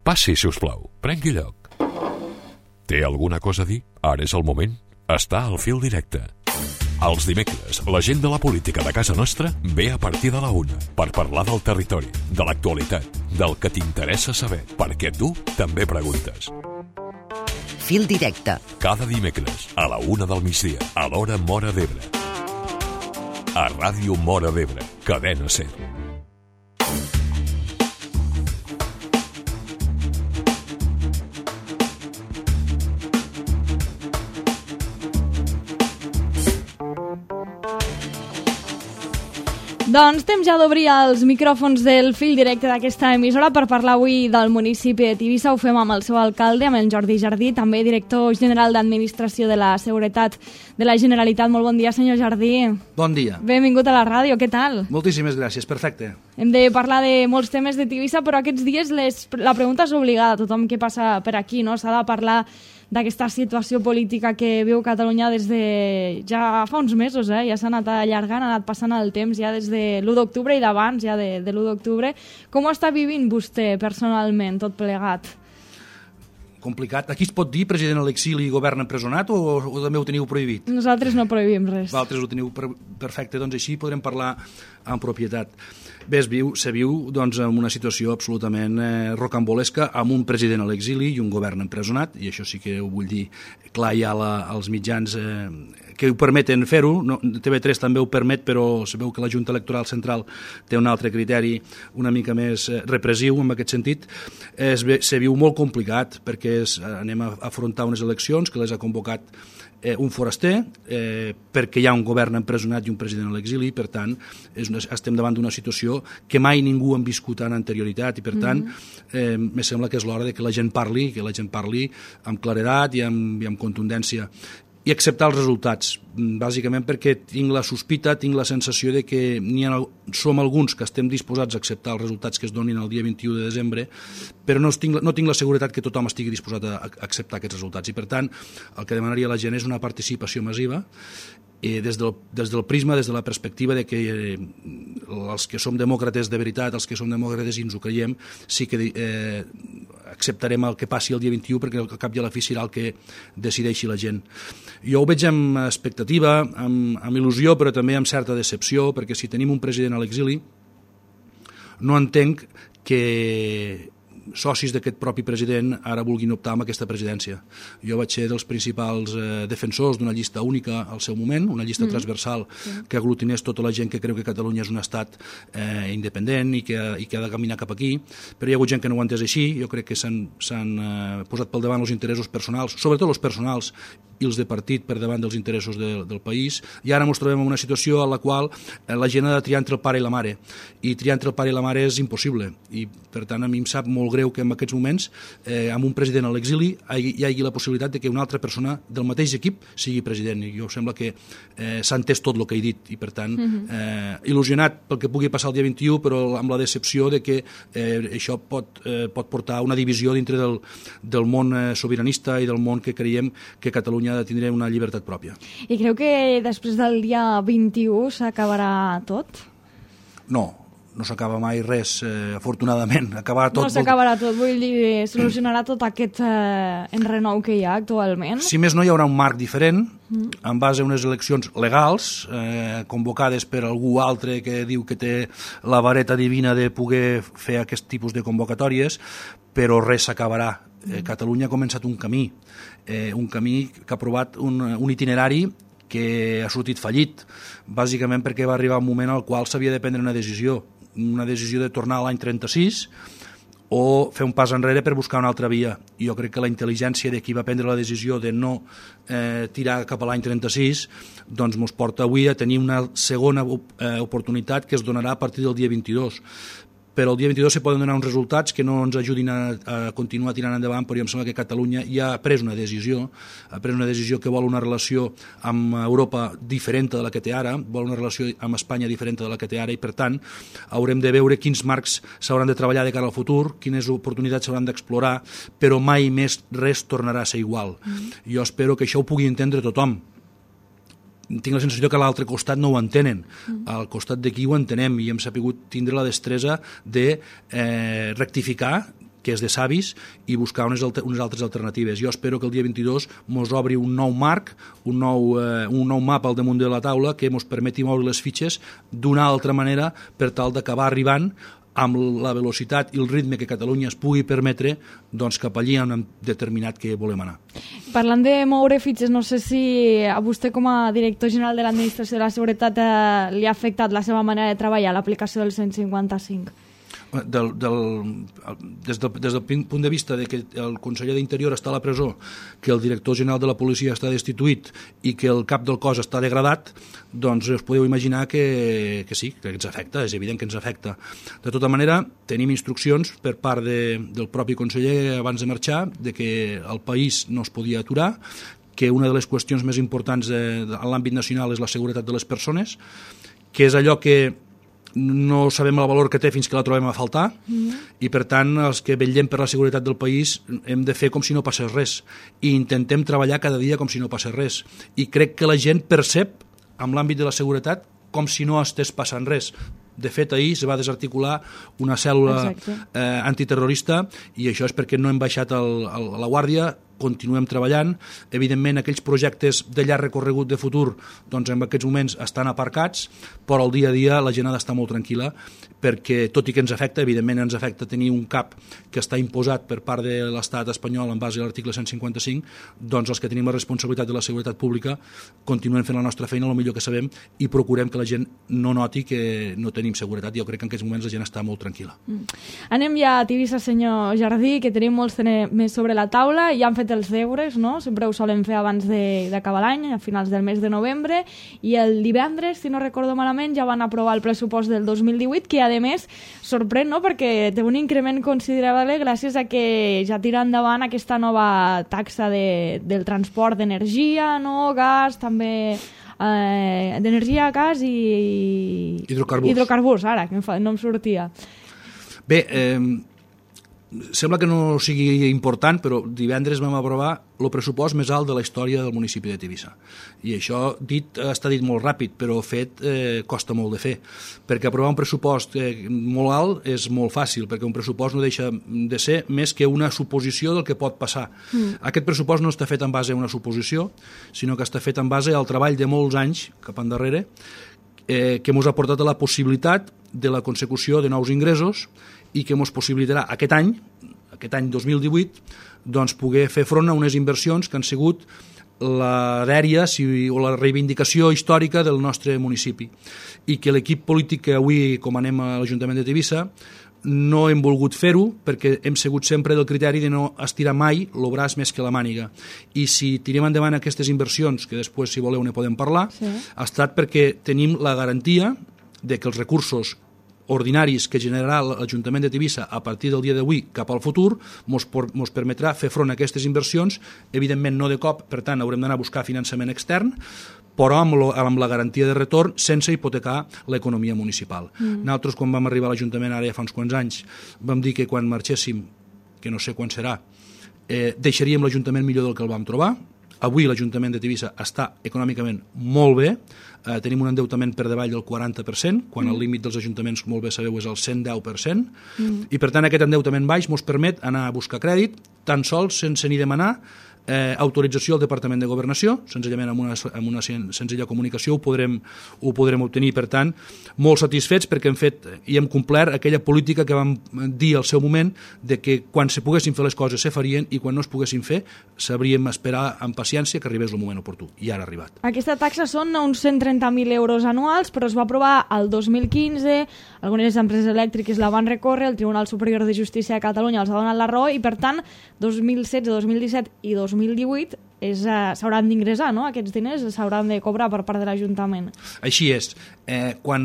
Passi, si us plau. Prengui lloc. Té alguna cosa a dir? Ara és el moment. Està al fil directe. Els dimecres, la gent de la política de casa nostra ve a partir de la 1 per parlar del territori, de l'actualitat, del que t'interessa saber, perquè tu també preguntes. Fil directe. Cada dimecres, a la 1 del migdia, a l'hora Móra d'Ebre. A Ràdio Móra d'Ebre, Cadena SER. Doncs temps ja d'obrir els micròfons del fil directe d'aquesta emissora per parlar avui del municipi de Tivissa. Ho fem amb el seu alcalde, amb el Jordi Jardí, també director general d'Administració de la Seguretat de la Generalitat. Molt bon dia, senyor Jardí. Bon dia. Benvingut a la ràdio, què tal? Moltíssimes gràcies, perfecte. Hem de parlar de molts temes de Tivissa, però aquests dies la pregunta és obligada a tothom que passa per aquí, no? S'ha de parlar d'aquesta situació política que viu Catalunya des de ja fa uns mesos, ja s'ha anat allargant, ha anat passant el temps ja des de l'1 d'octubre i d'abans ja de l'1 d'octubre. Com ho està vivint vostè personalment, tot plegat? Complicat. Aquí es pot dir president a l'exili i govern empresonat o també ho teniu prohibit? Nosaltres no prohibim res. Vosaltres ho teniu perfecte, doncs així podrem parlar amb propietat. Bé, se viu doncs, en una situació absolutament rocambolesca amb un president a l'exili i un govern empresonat, i això sí que ho vull dir clar ja als mitjans que ho permeten fer-ho. No, TV3 també ho permet, però sabeu que la Junta Electoral Central té un altre criteri una mica més repressiu en aquest sentit. Se viu molt complicat perquè anem a afrontar unes eleccions que les ha convocat un foraster, perquè hi ha un govern empresonat i un president a l'exili, per tant estem davant d'una situació que mai ningú ha viscut en anterioritat, i per tant me sembla que és l'hora de que la gent parli amb claredat i amb contundència i acceptar els resultats, bàsicament perquè tinc la sospita, tinc la sensació de que som alguns que estem disposats a acceptar els resultats que es donin el dia 21 de desembre, però no tinc la seguretat que tothom estigui disposat a acceptar aquests resultats, i per tant el que demanaria a la gent és una participació massiva des del prisma, des de la perspectiva de que els que som demòcrates de veritat, els que som demòcrates i ens ho creiem, sí que acceptarem el que passi el dia 21, perquè al cap i a la fi serà el que decideixi la gent. Jo ho veig amb expectativa, amb il·lusió, però també amb certa decepció, perquè si tenim un president a l'exili no entenc que socis d'aquest propi president ara vulguin optar amb aquesta presidència. Jo vaig ser dels principals defensors d'una llista única al seu moment, una llista transversal que aglutinés tota la gent que creu que Catalunya és un estat independent i que ha de caminar cap aquí, però hi ha hagut gent que no ho ha entès així. Jo crec que s'han posat pel davant els interessos personals, sobretot els personals i els de partit, per davant dels interessos del país, i ara ens trobem en una situació en la qual la gent ha de triar entre el pare i la mare, i triar entre el pare i la mare és impossible, i per tant a mi em sap molt greu que en aquests moments amb un president a l'exili hi hagi la possibilitat de que una altra persona del mateix equip sigui president, i jo sembla que s'ha entès tot el que he dit, i per tant il·lusionat pel que pugui passar el dia 21, però amb la decepció de que això pot portar a una divisió dintre del món sobiranista i del món que creiem que Catalunya ha de tindre una llibertat pròpia. I creu que després del dia 21 s'acabarà tot? No s'acaba mai res, afortunadament. Acabarà tot. No s'acabarà tot, vull dir, solucionarà tot aquest enrenou que hi ha actualment? Si més no, hi haurà un marc diferent, en base a unes eleccions legals, convocades per algú altre que diu que té la vareta divina de poder fer aquest tipus de convocatòries, però res s'acabarà. Catalunya ha començat un camí que ha provat un itinerari que ha sortit fallit, bàsicament perquè va arribar un moment al qual s'havia de prendre una decisió de tornar a l'any 36 o fer un pas enrere per buscar una altra via. Jo crec que la intel·ligència de qui va prendre la decisió de no tirar cap a l'any 36 doncs ens porta avui a tenir una segona oportunitat que es donarà a partir del dia 22. Però el dia 22 se poden donar uns resultats que no ens ajudin a continuar tirant endavant, però em sembla que Catalunya ja ha pres una decisió que vol una relació amb Europa diferent de la que té ara, vol una relació amb Espanya diferent de la que té ara, i per tant haurem de veure quins marcs s'hauran de treballar de cara al futur, quines oportunitats s'hauran d'explorar, però mai més res tornarà a ser igual. Jo espero que això ho pugui entendre tothom. Tinc la sensació que a l'altre costat no ho entenen, al costat d'aquí ho entenem, i hem sabut tindre la destresa de rectificar que és de savis, i buscar unes altres alternatives. Jo espero que el dia 22 mos obri un nou marc, un nou mapa al damunt de la taula que mos permeti moure les fitxes d'una altra manera per tal d'acabar arribant amb la velocitat i el ritme que Catalunya es pugui permetre doncs, cap allí on hem determinat que volem anar. Parlant de moure fitxes, no sé si a vostè com a director general de l'Administració de la Seguretat li ha afectat la seva manera de treballar, l'aplicació del 155. Des del punt de vista de que el conseller d'Interior està a la presó, que el director general de la policia està destituït i que el cap del cos està degradat, doncs us podeu imaginar que sí, que ens afecta, és evident que ens afecta. De tota manera, tenim instruccions per part del propi conseller abans de marxar de que el país no es podia aturar, que una de les qüestions més importants en l'àmbit nacional és la seguretat de les persones, que és allò que no sabem el valor que té fins que la trobem a faltar, i per tant els que vetllem per la seguretat del país hem de fer com si no passés res i intentem treballar cada dia com si no passés res, i crec que la gent percep en l'àmbit de la seguretat com si no estés passant res. De fet, ahir es va desarticular una cèl·lula antiterrorista, i això és perquè no hem baixat la guàrdia, continuem treballant. Evidentment, aquells projectes de llarg recorregut de futur doncs en aquests moments estan aparcats, però al dia a dia la gent ha d'estar molt tranquil·la, perquè tot i que ens afecta, evidentment ens afecta tenir un cap que està imposat per part de l'estat espanyol en base a l'article 155, doncs els que tenim la responsabilitat de la seguretat pública continuem fent la nostra feina el millor que sabem i procurem que la gent no noti que no tenim seguretat. Jo crec que en aquests moments la gent està molt tranquil·la. Anem ja a Tivissa, senyor Jardí, que tenim molts més sobre la taula, ja han fet els deures, no? Sempre ho solen fer abans d'acabar l'any, a finals del mes de novembre, i el divendres, si no recordo malament, ja van aprovar el pressupost del 2018, que a més sorprèn, no? Perquè té un increment considerable gràcies a que ja tira endavant aquesta nova taxa del transport d'energia, no? Gas, també d'energia, gas i hidrocarburs, ara, que no em sortia. Bé, sembla que no sigui important, però divendres vam aprovar el pressupost més alt de la història del municipi de Tivissa. I això està dit molt ràpid, però fet costa molt de fer. Perquè aprovar un pressupost molt alt és molt fàcil, perquè un pressupost no deixa de ser més que una suposició del que pot passar. Aquest pressupost no està fet en base a una suposició, sinó que està fet en base al treball de molts anys cap endarrere, que ens ha portat a la possibilitat de la consecució de nous ingressos i que ens possibilitarà aquest any 2018, doncs poder fer front a unes inversions que han sigut la dèria o la reivindicació històrica del nostre municipi, i que l'equip polític que avui comanem a l'Ajuntament de Tivissa no hem volgut fer-ho perquè hem sigut sempre del criteri de no estirar mai el braç més que la màniga. I si tirem endavant aquestes inversions, que després, si voleu, ne podem parlar, ha estat perquè tenim la garantia de que els recursos ordinaris que generarà l'Ajuntament de Tivissa a partir del dia d'avui cap al futur ens permetrà fer front a aquestes inversions, evidentment no de cop, per tant haurem d'anar a buscar finançament extern, però amb la garantia de retorn sense hipotecar l'economia municipal. Nosaltres, quan vam arribar a l'Ajuntament, ara ja fa uns quants anys, vam dir que quan marxéssim, que no sé quan serà, deixaríem l'Ajuntament millor del que el vam trobar. Avui l'Ajuntament de Tivissa està econòmicament molt bé, tenim un endeutament per davall del 40%, quan el límit dels ajuntaments, molt bé sabeu, és el 110%, i per tant aquest endeutament baix ens permet anar a buscar crèdit, tan sols sense ni demanar autorització al Departament de Governació, senzillament amb una senzilla comunicació ho podrem obtenir. Per tant, molt satisfets perquè hem fet i hem complert aquella política que vam dir al seu moment de que quan se poguessin fer les coses se farien i quan no es poguessin fer sabríem esperar amb paciència que arribés el moment oportú, i ara ha arribat. Aquesta taxa són uns 130.000 euros anuals, però es va aprovar el 2015, algunes empreses elèctriques la van recórrer, el Tribunal Superior de Justícia de Catalunya els ha donat la raó, i per tant 2016, 2017 i 2018 s'hauran d'ingressar, no? Aquests diners s'hauran de cobrar per part de l'Ajuntament. Així és. Quan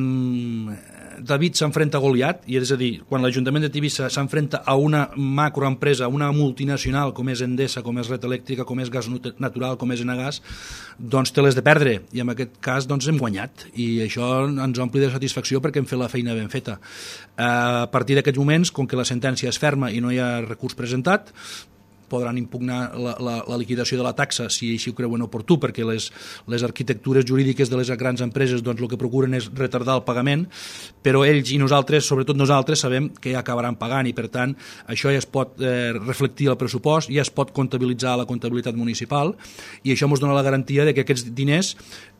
David s'enfrenta a Goliat, i és a dir, quan l'Ajuntament de Tivissa s'enfrenta a una macroempresa, una multinacional com és Endesa, com és Red Elèctrica, com és Gas Natural, com és Enagas, doncs té les de perdre, i en aquest cas doncs hem guanyat, i això ens ompli de satisfacció perquè hem fet la feina ben feta. A partir d'aquests moments, com que la sentència és ferma i no hi ha recurs presentat, podran impugnar la liquidació de la taxa si així ho creuen oportú, perquè les arquitectures jurídiques de les grans empreses doncs, el que procuren és retardar el pagament, però ells i nosaltres, sobretot nosaltres, sabem que ja acabaran pagant i per tant això ja es pot reflectir al pressupost, ja es pot comptabilitzar a la comptabilitat municipal i això ens dona la garantia de que aquests diners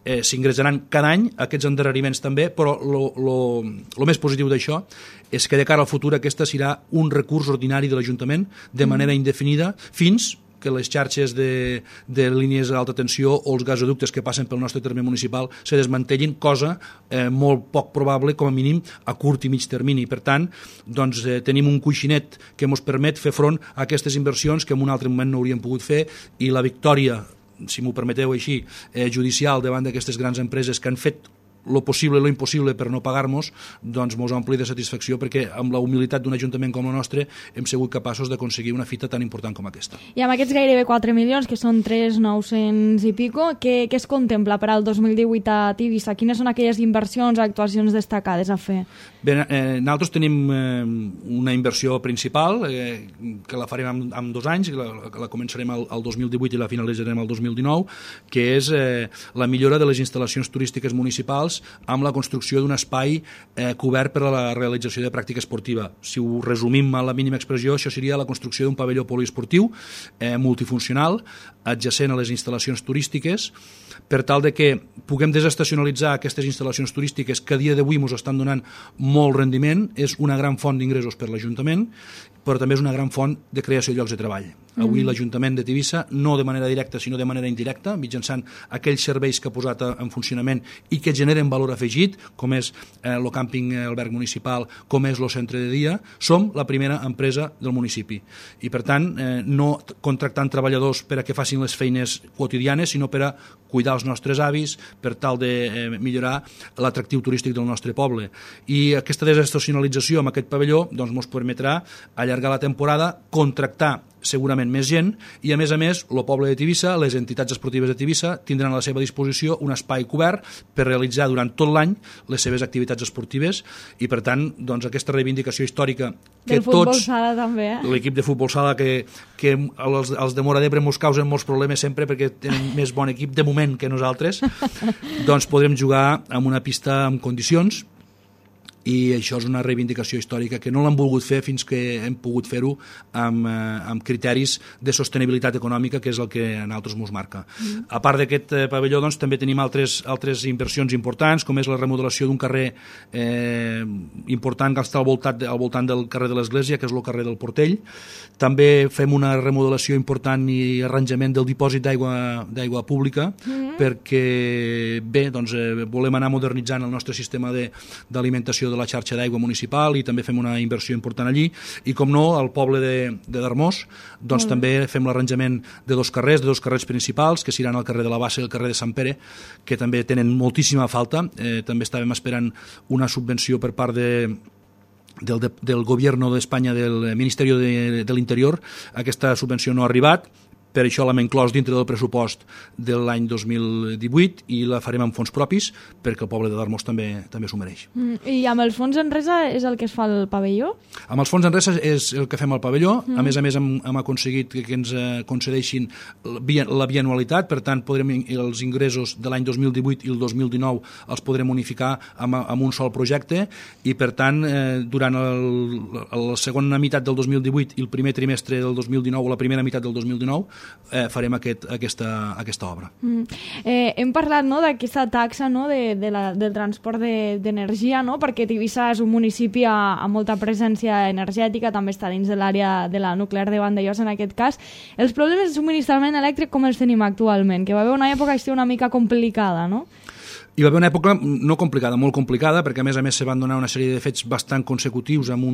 s'ingressaran cada any, aquests endarreriments també, però el més positiu d'això és que de cara al futur aquesta serà un recurs ordinari de l'Ajuntament de manera indefinida fins que les xarxes de línies d'alta tensió o els gasoductes que passen pel nostre terme municipal se desmantellin, cosa molt poc probable, com a mínim, a curt i mig termini. Per tant, doncs, tenim un coixinet que ens permet fer front a aquestes inversions que en un altre moment no hauríem pogut fer i la victòria, si m'ho permeteu així, judicial davant d'aquestes grans empreses que han fet lo possible i lo impossible per no pagar-nos, doncs mos ompli de satisfacció perquè amb la humilitat d'un ajuntament com el nostre hem sigut capaços d'aconseguir una fita tan important com aquesta. I amb aquests gairebé 4 milions, que són 3.900 i pico, què es contempla per al 2018 a Tivissa? Quines són aquelles inversions, actuacions destacades a fer? Bé, nosaltres tenim una inversió principal que la farem en 2 anys, la començarem al 2018 i la finalitzarem al 2019, que és la millora de les instal·lacions turístiques municipals amb la construcció d'un espai cobert per a la realització de pràctica esportiva. Si ho resumim a la mínima expressió, això seria la construcció d'un pavelló poliesportiu multifuncional adjacent a les instal·lacions turístiques per tal de que puguem desestacionalitzar aquestes instal·lacions turístiques que a dia d'avui ens estan donant molt rendiment. És una gran font d'ingressos per l'Ajuntament, però també és una gran font de creació de llocs de treball. Avui l'Ajuntament de Tivissa, no de manera directa sinó de manera indirecta, mitjançant aquells serveis que ha posat en funcionament i que generen valor afegit, com és el càmping alberg municipal, com és el centre de dia, som la primera empresa del municipi. I per tant, no contractant treballadors per a que facin les feines quotidianes, sinó per a cuidar els nostres avis, per tal de millorar l'atractiu turístic del nostre poble. I aquesta desestacionalització amb aquest pavelló doncs, ens permetrà allargar la temporada, contractar segurament més gent i a més, el poble de Tivissa, les entitats esportives de Tivissa tindran a la seva disposició un espai cobert per realitzar durant tot l'any les seves activitats esportives i per tant doncs, aquesta reivindicació històrica que del futbol sala també, l'equip de futbol sala que els de Móra d'Ebre ens causen molts problemes sempre perquè tenen més bon equip de moment que nosaltres, doncs podrem jugar en una pista en condicions i això és una reivindicació històrica que no l'hem volgut fer fins que hem pogut fer-ho amb criteris de sostenibilitat econòmica, que és el que a nosaltres ens marca. A part d'aquest pavelló, doncs, també tenim altres inversions importants, com és la remodelació d'un carrer important que està al voltant del carrer de l'Església, que és el carrer del Portell. També fem una remodelació important i arranjament del dipòsit d'aigua pública, perquè bé, doncs, volem anar modernitzant el nostre sistema d'alimentació de la xarxa d'aigua municipal i també fem una inversió important allí i com no, al poble de Darmós doncs també fem l'arranjament de dos carrers principals que seran el carrer de la Bassa i el carrer de Sant Pere, que també tenen moltíssima falta. També estàvem esperant una subvenció per part del Gobierno d'Espanya, del Ministeri de l'Interior. Aquesta subvenció no ha arribat, per això l'hem inclòs dintre del pressupost de l'any 2018 i la farem amb fons propis perquè el poble de Darmós també s'ho mereix. I amb els fons en resa és el que es fa al pavelló? Amb els fons en resa és el que fem al pavelló. A més hem aconseguit que ens concedeixin la bianualitat, per tant els ingressos de l'any 2018 i el 2019 els podrem unificar amb un sol projecte i per tant durant la segona meitat del 2018 i el primer trimestre del 2019 o la primera meitat del 2019 farem aquesta obra. Hem parlat d'aquesta taxa del transport d'energia, perquè Tivissa és un municipi amb molta presència energètica, també està dins de l'àrea de la nuclear de Vandellòs en aquest cas. Els problemes de subministrament elèctric com els tenim actualment? Que va haver una època una mica complicada, no? Hi va haver una època no complicada, molt complicada, perquè a més se van donar una sèrie de fets bastant consecutius amb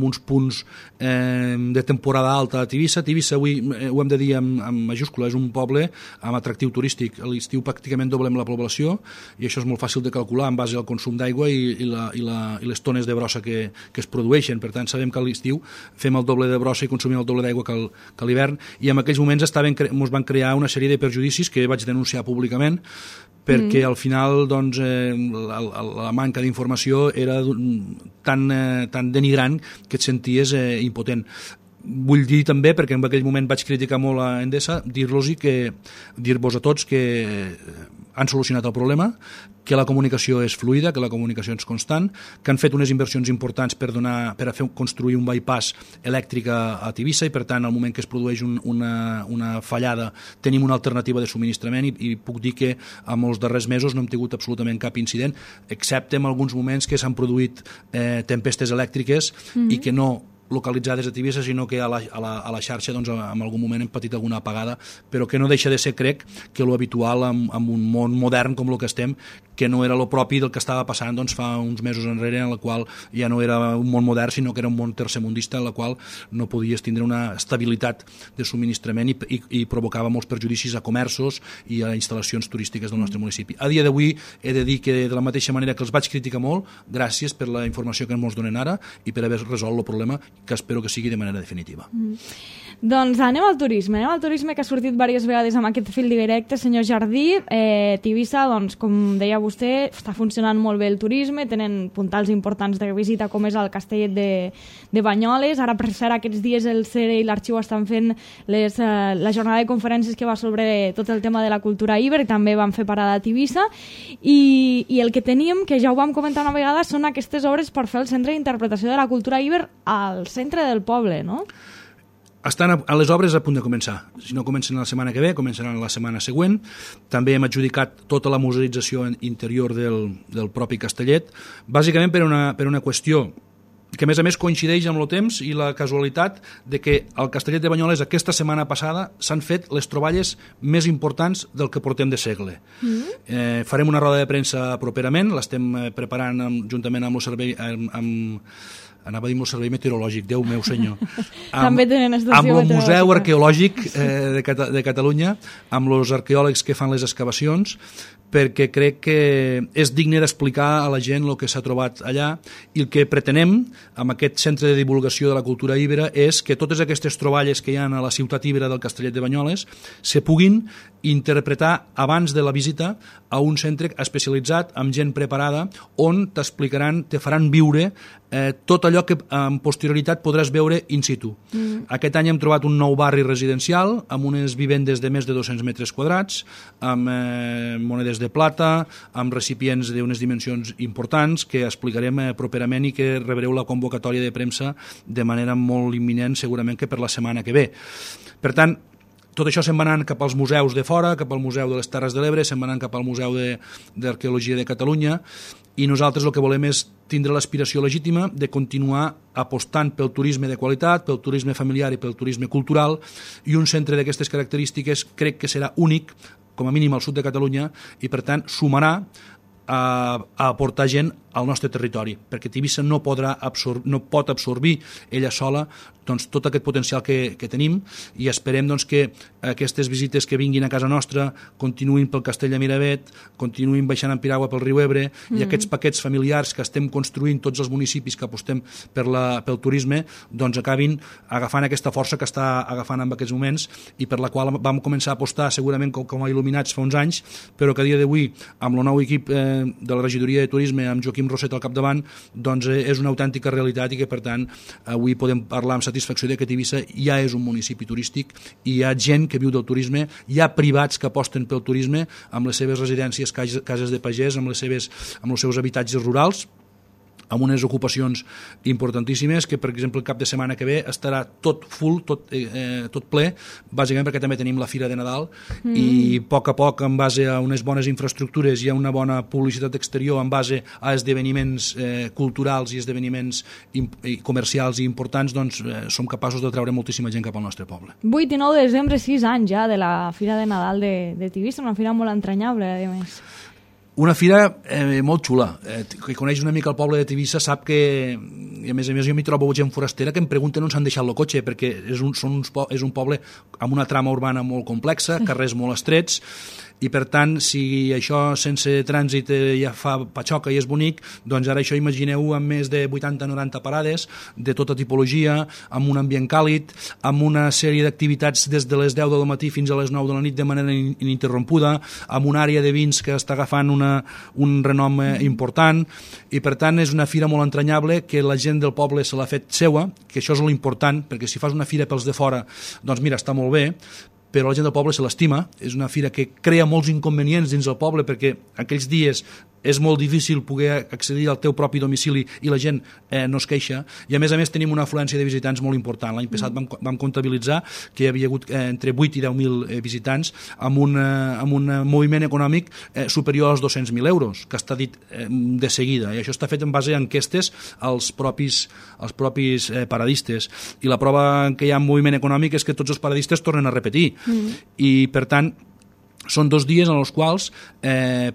uns punts de temporada alta a Tivissa. Tivissa, avui ho hem de dir amb majúscula, és un poble amb atractiu turístic. A l'estiu pràcticament doblem la població i això és molt fàcil de calcular en base al consum d'aigua i les tones de brossa que es produeixen. Per tant, sabem que a l'estiu fem el doble de brossa i consumim el doble d'aigua que a l'hivern i en aquells moments ens van crear una sèrie de perjudicis que vaig denunciar públicament perquè al final doncs, la manca d'informació era tan denigrant que et senties impotent. vull dir també, perquè en aquell moment vaig criticar molt a Endesa, dir-vos a tots que han solucionat el problema, que la comunicació és fluida, que la comunicació és constant, que han fet unes inversions importants per construir un bypass elèctric a Tivissa i, per tant, al moment que es produeix una fallada tenim una alternativa de subministrament i puc dir que en els darrers mesos no hem tingut absolutament cap incident, excepte en alguns moments que s'han produït tempestes elèctriques i que no localitzades a Tivissa, sinó que a la xarxa doncs, en algun moment hem patit alguna apagada, però que no deixa de ser, crec, que lo habitual en un món modern com el que estem, que no era lo propi del que estava passant doncs, fa uns mesos enrere, en la qual ja no era un món modern, sinó que era un món tercermundista, en la qual no podies tindre una estabilitat de subministrament i provocava molts perjudicis a comerços i a instal·lacions turístiques del nostre municipi. A dia d'avui he de dir que de la mateixa manera que els vaig criticar molt, gràcies per la informació que ens donen ara i per haver resolt el problema, que espero que sigui de manera definitiva. Doncs anem al turisme que ha sortit diverses vegades amb aquest fil directe, senyor Jardí. Tivissa, doncs, com deia vostè, està funcionant molt bé el turisme, tenen puntals importants de visita com és el Castellet de Banyoles. Ara, per cert, aquests dies el CERE i l'Arxiu estan fent la jornada de conferències que va sobre tot el tema de la cultura Iber, i també van fer parada a Tivissa, i el que teníem, que ja ho vam comentar una vegada, són aquestes obres per fer el centre d'interpretació de la cultura Iber al centre del poble, no? Estan a les obres a punt de començar. Si no comencen la setmana que ve, començaran la setmana següent. També hem adjudicat tota la museïtzació interior del propi castellet, bàsicament per una qüestió que a més coincideix amb el temps i la casualitat de que al Castellet de Banyoles aquesta setmana passada s'han fet les troballes més importants del que portem de segle. Farem una roda de premsa properament, l'estem preparant juntament amb el servei anava a dir el servei meteorològic, Déu meu senyor, també tenen estació amb el Museu Arqueològic de Catalunya, amb els arqueòlegs que fan les excavacions, perquè crec que és digne d'explicar a la gent el que s'ha trobat allà, i el que pretenem amb aquest centre de divulgació de la cultura íbera és que totes aquestes troballes que hi ha a la ciutat íbera del Castellet de Banyoles se puguin interpretar abans de la visita a un centre especialitzat amb gent preparada on t'explicaran, te faran viure tot allò que en posterioritat podràs veure in situ. Aquest any hem trobat un nou barri residencial amb unes vivendes de més de 200 metres quadrats, amb monedes de plata, amb recipients d'unes dimensions importants que explicarem properament i que rebreu la convocatòria de premsa de manera molt imminent, segurament que per la setmana que ve. Per tant, tot això se'n va anant cap als museus de fora, cap al Museu de les Terres de l'Ebre, se'n va anant cap al Museu d'Arqueologia de Catalunya, i nosaltres el que volem és tindre l'aspiració legítima de continuar apostant pel turisme de qualitat, pel turisme familiar i pel turisme cultural, i un centre d'aquestes característiques crec que serà únic, com a mínim al sud de Catalunya, i per tant sumarà a aportar gent al nostre territori, perquè Tivissa no pot absorbir ella sola doncs, tot aquest potencial que tenim, i esperem doncs, que aquestes visites que vinguin a casa nostra continuïn pel Castell de Miravet, continuïn baixant en piragua pel riu Ebre, i aquests paquets familiars que estem construint tots els municipis que apostem pel turisme doncs acabin agafant aquesta força que està agafant en aquests moments, i per la qual vam començar a apostar segurament com a il·luminats fa uns anys, però que a dia d'avui amb el nou equip de la regidoria de turisme amb Joaquim Roset al capdavant doncs és una autèntica realitat, i que per tant avui podem parlar amb satisfacció de que Tivissa ja és un municipi turístic i hi ha gent que viu del turisme, hi ha privats que aposten pel turisme amb les seves residències, cases de pagès, amb els seus habitatges rurals, amb unes ocupacions importantíssimes, que per exemple el cap de setmana que ve estarà tot full, tot ple, bàsicament perquè també tenim la Fira de Nadal, i a poc, en base a unes bones infraestructures i a una bona publicitat exterior, en base a esdeveniments culturals i esdeveniments comercials i importants, doncs som capaços de treure moltíssima gent cap al nostre poble. 8 i 9 de desembre, 6 anys ja de la Fira de Nadal de Tivissa, una fira molt entranyable, a més. Una fira molt xula. Qui coneix una mica el poble de Tivissa sap que, a més jo m'hi trobo gent forastera que em pregunten on s'han deixat el cotxe, perquè és un poble amb una trama urbana molt complexa, carrers molt estrets, i per tant, si això sense trànsit ja fa patxoca i és bonic, doncs ara això imagineu amb més de 80-90 parades de tota tipologia, amb un ambient càlid, amb una sèrie d'activitats des de les 10 del matí fins a les 9 de la nit de manera ininterrompuda, amb una àrea de vins que està agafant un renom important, i per tant és una fira molt entranyable que la gent del poble se l'ha fet seua, que això és l'important, perquè si fas una fira pels de fora, doncs mira, està molt bé, però la gent del poble se l'estima. És una fira que crea molts inconvenients dins el poble, perquè aquells dies és molt difícil poder accedir al teu propi domicili i la gent no es queixa, i a més tenim una afluència de visitants molt important. L'any passat vam comptabilitzar que hi havia hagut entre 8 i 10.000 visitants amb un moviment econòmic superior als 200.000 euros, que està dit de seguida, i això està fet en base a enquestes als propis paradistes, i la prova que hi ha moviment econòmic és que tots els paradistes tornen a repetir, i per tant són 2 dies en els quals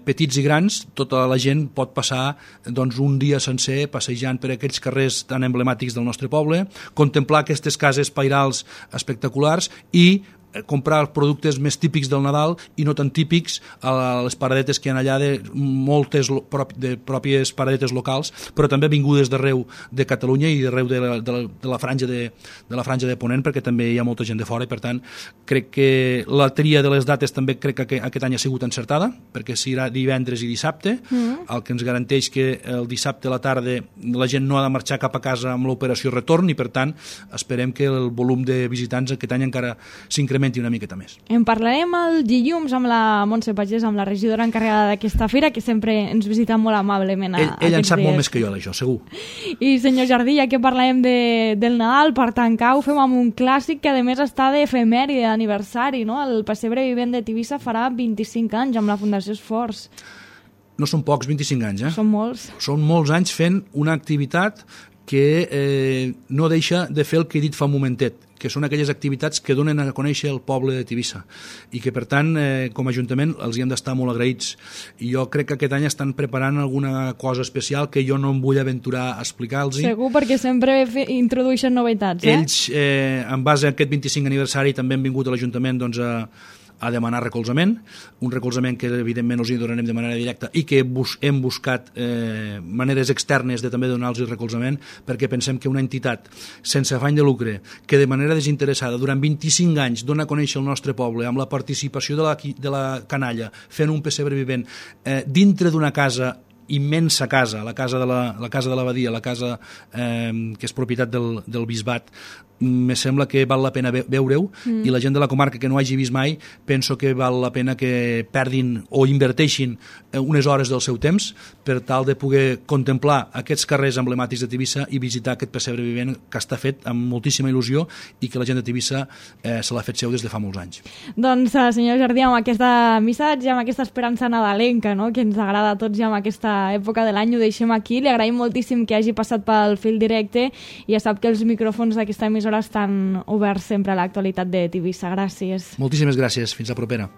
petits i grans, tota la gent pot passar doncs, un dia sencer passejant per aquells carrers tan emblemàtics del nostre poble, contemplar aquestes cases pairals espectaculars i comprar productes més típics del Nadal i no tan típics a les paradetes que hi ha allà, de moltes de pròpies paradetes locals, però també vingudes d'arreu de Catalunya i d'arreu de la franja de Ponent, perquè també hi ha molta gent de fora, i per tant crec que la tria de les dates també crec que aquest any ha sigut encertada, perquè serà divendres i dissabte, el que ens garanteix que el dissabte a la tarda la gent no ha de marxar cap a casa amb l'operació retorn, i per tant esperem que el volum de visitants aquest any encara s'incrementi una miqueta més. En parlarem el dilluns amb la Montse Pagès, amb la regidora encarregada d'aquesta fira, que sempre ens visita molt amablement. Ell en sap molt més que jo d'això, segur. I senyor Jardí, ja que parlem del Nadal, per tancar ho fem amb un clàssic que a més està d'efemèride, d'aniversari, no? El pessebre vivent de Tivissa farà 25 anys amb la Fundació Esforç. No són pocs, 25 anys, Són molts. Són molts anys fent una activitat que no deixa de fer el que he dit fa un momentet, que són aquelles activitats que donen a conèixer el poble de Tivissa, i que per tant com a Ajuntament els hi hem d'estar molt agraïts, i jo crec que aquest any estan preparant alguna cosa especial que jo no em vull aventurar a explicar-los. Segur, perquè sempre introdueixen novetats. Ells, en base a aquest 25 aniversari, també han vingut a l'Ajuntament doncs, a demanar recolzament, un recolzament que evidentment us hi donarem de manera directa i que hem buscat maneres externes de també donar-los recolzament, perquè pensem que una entitat sense afany de lucre, que de manera desinteressada durant 25 anys dona a conèixer el nostre poble amb la participació de la canalla, fent un pessebre vivent dintre d'una casa, immensa casa, la casa de l'abadia, la casa que és propietat del bisbat, me sembla que val la pena veure-ho, i la gent de la comarca que no hagi vist mai, penso que val la pena que perdin o inverteixin unes hores del seu temps per tal de poder contemplar aquests carrers emblemàtics de Tivissa i visitar aquest pessebre vivent que està fet amb moltíssima il·lusió i que la gent de Tivissa se l'ha fet seu des de fa molts anys. Doncs, senyor Jardí, amb aquest missatge, amb aquesta esperança nadalenca, no?, que ens agrada a tots ja amb aquesta època de l'any, ho deixem aquí. Li agraïm moltíssim que hagi passat pel fil directe, i ja sap que els micròfons d'aquesta emissora estan oberts sempre a l'actualitat de Tivissa. Gràcies. Moltíssimes gràcies. Fins la propera.